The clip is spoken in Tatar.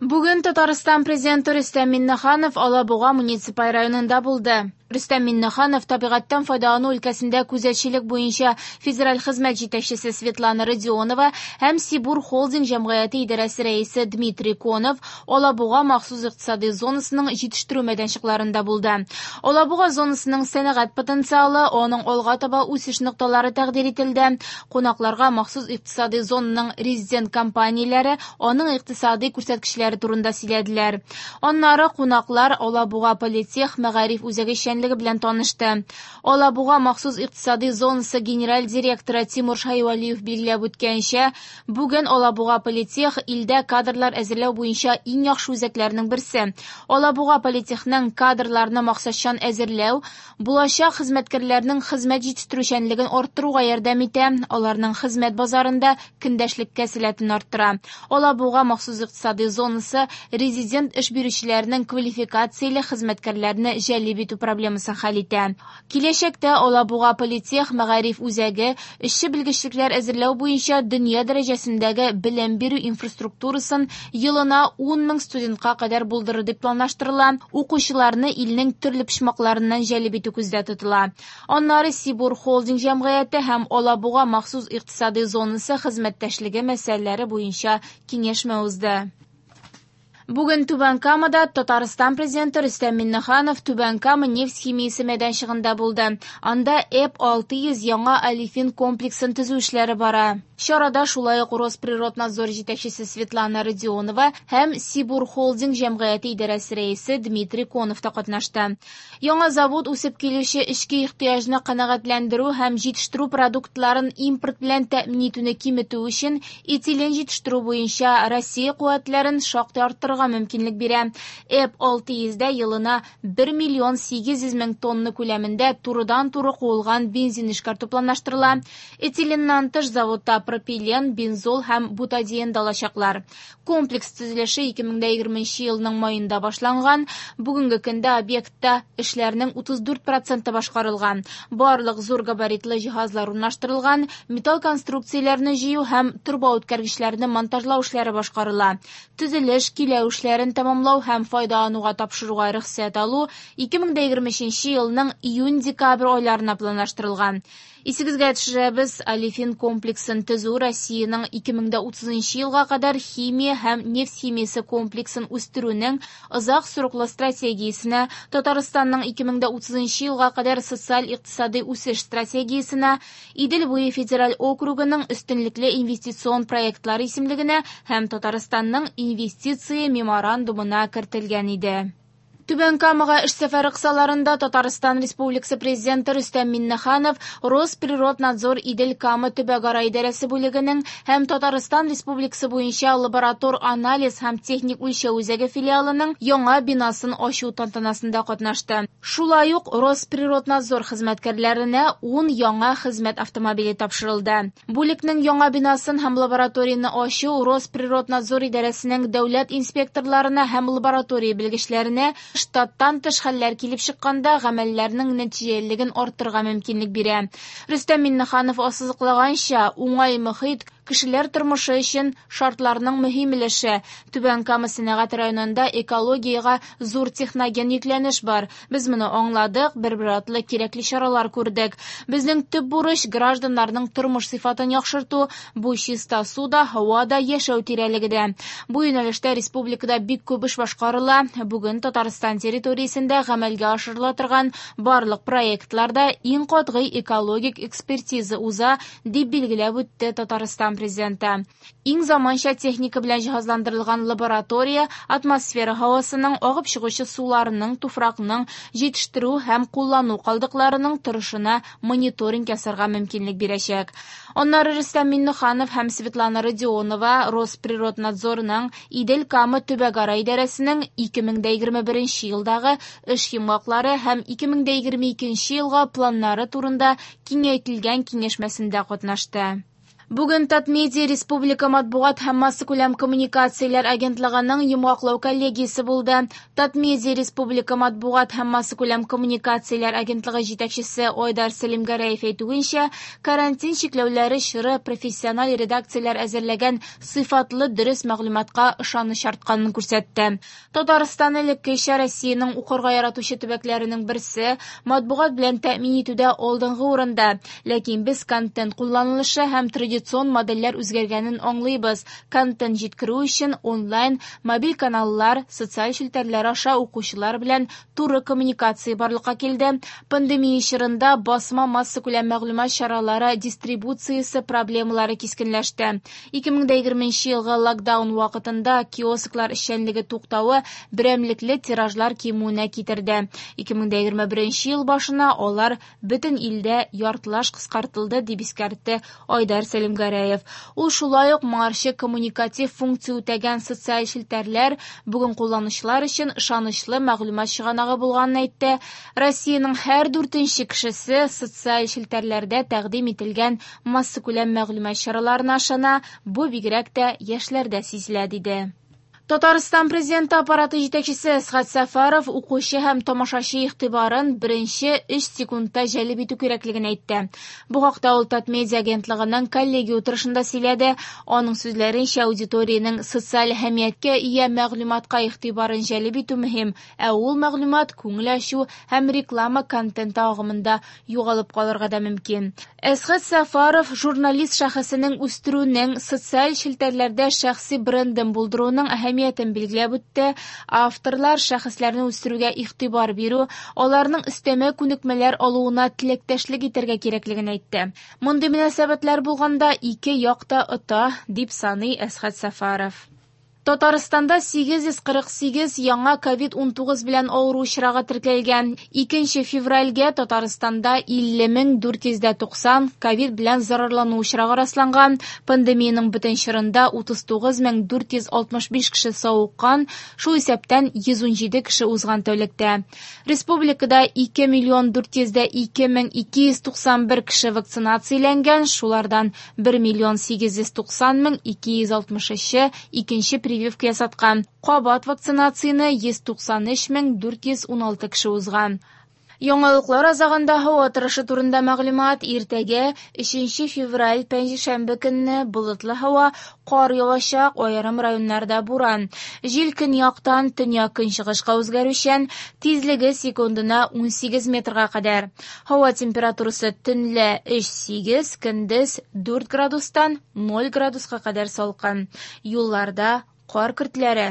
Бүген Татарстан Президенты Рөстәм Миңнеханов Алабуга муниципаль районында булды. Рөстәм Миңнеханов табигатьтән файдалану өлкәсендә күзәтчелек буенча федераль хезмәт җитәкчесе Светлана Родионова һәм Сибур Холдинг җәмгыяте идарәсе рәисе Дмитрий Конов Алабуга махсус икътисади зонасының җитештерү мәйданчыкларында булды. Алабуга зонасының сәнәгать потенциалы, аның алга таба үсеш нокталары тәкъдир ителде. Кунакларга махсус икътисади зонаның резидент компанияләре аның икътисади күрсәткечләре турында сөйләделәр. Аннары кунаклар Алабуга политех мәгариф үзәге эшчәнлеге белән танышты. Алабуга махсус икътисади зонасы генераль директоры Тимур Шайвалиев билгеләп үткәнчә, бүген Алабуга политех илдә кадрлар әзерләү буенча иң яхшы үзәкләрнең берсе. Алабуга политехның кадрларны максатчан әзерләү, булачак хезмәткәрләрнең хезмәт җитештерүчәнлеген арттыруга ярдәм итә, аларның хезмәт базарында көндәшлеккә сәләтен арттыра. Алабуга махсус икътисади зонасы резидент эш бирүчеләрнең квалификацияле хезмәткәрләрне җәлеп итү проблемасын хәл итә. Киләчәктә Алабуга политех мәгариф үзәге эшче белгечлекләр әзерләү буенча дөнья дәрәҗәсендәге белем бирү инфраструктурасын елына 10 мең студентка кадәр булдырыр дип планлаштырыла. Укучыларны илнең төрле почмакларыннан җәлеп итү күздә тотыла. Аннары Сибур Холдинг җәмгыяте һәм Алабуга махсус икътисади зонасы хезмәттәшлеге мәсьәләләре буенча киңәшмә узды. Бүген Түбән Камада Татарстан Президенты Рөстәм Миңнеханов Түбән Кама нефть химиясе мәйданчыгында булды. Анда ЭП 600 яңа олефин комплексын төзү эшләре бара. Чарада шулай ук Росприроднадзор җитәкчесе Светлана Родионова һәм Сибур Холдинг җәмгыяте идарәсе рәисе Дмитрий Конов та катнашты. Яңа завод үсеп килүче эчке ихтыяҗны канәгатьләндерү һәм җитештерү продуктларын импорт белән тәэмин итүне киметү өчен этилен җитештерү буенча Россия куәтләрен шактый арттырырга мөмкинлек бирә. ЭП 600-дә елына 1 миллион 800 мең тонна күләмендә турыдан-туры куылган бензин эшкәртү планлаштырыла. Этиленнан тыш заводта пропилен, бензол һәм бутадиен да алачаклар. Комплекс төзелеше 2020 елның майында башланган. Бүгенге көндә объектта эшләрнең 34% башкарылган. Барлык зур габаритлы җиһазлар урнаштырылган, металл конструкцияләрне җыю һәм торба үткәргечләрне монтажлау эшләре башкарыла. Төзелеш, киләү эшләрен тәмамлау һәм файдалануга тапшыруга рөхсәт алу 2023 елның июнь-декабрь айларына планлаштырылган. Исегезгә төшерәбез, олефин комплексын төзү Россиянең 2030 елга кадәр химия һәм нефть химиясе комплексын үстерүнең озак сроклы стратегиясенә, Татарстанның 2030 елга кадәр социаль-икътисади үсеш стратегиясенә, Идел буе федераль округының өстенлекле инвестицион проектлары исемлегенә һәм Татарстанның инвестиция меморандумына кертелгән иде. Түбән Камага эш сәфәре кысаларында Татарстан Республикасы Президенты Рөстәм Миңнеханов Росприроднадзор Идел Кама төбәкара идарәсе бүлегенең һәм Татарстан Республикасы буенча лаборатор анализ һәм техник үлчәү үзәге филиалының яңа бинасын ачу тантанасында катнашты. Шулай ук Росприроднадзор хезмәткәрләренә 10 яңа хезмәт автомобиле тапшырылды. Бүлекнең яңа бинасын һәм лабораторияне ачу Росприроднадзор идарәсенең дәүләт инспекторларына һәм лаборатория белгечләренә штаттан тыш хәлләр килеп чыкканда гамәлләрнең нәтиҗәлелеген арттырырга мөмкинлек бирә. Рөстәм Миңнеханов ассызыклаганча, уңай мохит кешеләр тормышы өчен шартларның мөһим өлеше. Түбән Кама сәнәгать районында экологиягә зур техноген йөкләнеш бар. Без моны аңладык, бер-бер атлы кирәкле чаралар күрдек. Безнең төп бурыч гражданнарның тормыш сыйфатын яхшырту, бу чиста су да, һава да, яшәү тирәлеге дә. Бу юнәлештә республикада бик күп эш башкарыла. Бүген Татарстан территориясендә гамәлгә ашырыла торган барлык проектларда иң катгый экологик экспертиза уза, дип билгеләп үтте Татарстан Президенты. Иң заманча техника белән җиһазландырылган лаборатория атмосфера һавасының, агып чыгучы суларының, туфракның, җитештерү һәм куллану калдыкларының торышына мониторинг ясарга мөмкинлек бирәчәк. Аннары Рөстәм Миңнеханов һәм Светлана Родионова Росприроднадзорның Идел Кама төбәкара идарәсенең 2021 елдагы эш йомгаклары һәм 2022 елга планнары турында киңәйтелгән киңәшмәсендә катнашты. Бүген Татмедиа республика матбугат һәм массакүләм коммуникацияләр агентлыгының йомгаклау коллегиясе булды. Татмедиа республика матбугат һәм массакүләм коммуникацияләр агентлыгы җитәкчесе Айдар Сәлимгәрәев әйтүенчә, карантин чикләүләре чоры профессиональ редакцияләр әзерләгән сыйфатлы дөрес мәгълүматка ышаныч артканын күрсәтте. Татарстан элеккечә Россиянең укырга яратучы төбәкләренең берсе, матбугат белән тәэмин итүдә алдынгы урында. Ләкин без контент кулланылышы һәм традицион модельләр үзгәргәнен аңлыйбыз. Контент җиткерү өчен онлайн, мобиль каналлар, социаль челтәрләр аша укучылар белән туры коммуникация барлыкка килде. Пандемия чорында басма массакүләм мәгълүмат чаралары дистрибуциясе проблемалары кискенләште. 2020 елгы локдаун вакытында киосклар эшчәнлеге туктавы берәмлекле тиражлар кимүенә китерде. 2021 ел башына алар бөтен илдә яртылаш кыскартылды, дип искәртте Айдар Сәлимгәрәев. Ул шулай ук моңарчы коммуникатив функция үтәгән социаль челтәрләр бүген кулланучылар өчен ышанычлы мәгълүмат чыганагы булганын әйтте. Россиянең һәр дүртенче кешесе социаль челтәрләрдә тәкъдим ителгән массакүләм мәгълүмат чараларына ышана, бу бигрәк тә яшьләрдә сизелә, диде. Татарстан президенты аппараты җитәкчесе Әсгать Сәфәров укучы һәм тамашачы игътибарын беренче 3 секундта җәлеп итү кирәклеген әйтте. Бу хакта ул Татмедиа агентлыгының коллегия утырышында сөйләде. Аның сүзләренчә, аудиториянең социаль әһәмияткә ия мәгълүматка игътибарын җәлеп итү мөһим, ә ул мәгълүмат күңел ачу һәм реклама контенты агымында югалып калырга да мөмкин. Әсгать Сәфәров журналист шәхесенең үстерүнең, социаль челтәрләрдә шәхси брендын булдыруның әһәмиятен билгеләп үтте. Авторлар шәхесләрне үстерүгә игътибар бирү, аларның өстәмә күнекмәләр алуына теләктәшлек итәргә кирәклеген әйтте. Мондый мөнәсәбәтләр булганда ике як та ота, дип саный Әсгать Сәфәров. Татарстанда 848 яңа COVID-19 белән авыру очрагы теркәлгән. 2 февральгә Татарстанда 50 490 COVID белән зарарлану очрагы расланган. Пандемиянең бөтен чорында 39 465 кеше савыккан, шул исәптән 117 кеше узган тәүлектә. Республикада 2 миллион 402 мең 291 кеше вакцинацияләнгән, шулардан 1 миллион 890 мең 263 икенче прививка ясаткан. Кабат вакцинацияне 193 мең 416 кеше узган. Яңалыклар азагында һава торышы турында мәгълүмат. Иртәгә 3 февраль пәнҗешәмбе көнне болытлы һава, кар явачак, аерым районнарда буран. Җил көньяктан төньяк көнчыгышка үзгәрүчән, тизлеге секундына 18 метрга кадәр. Һава температурасы төнлә 3-8, көндез 4 градустан 0 градуска кадәр салкын. Юлларда кар көртләре.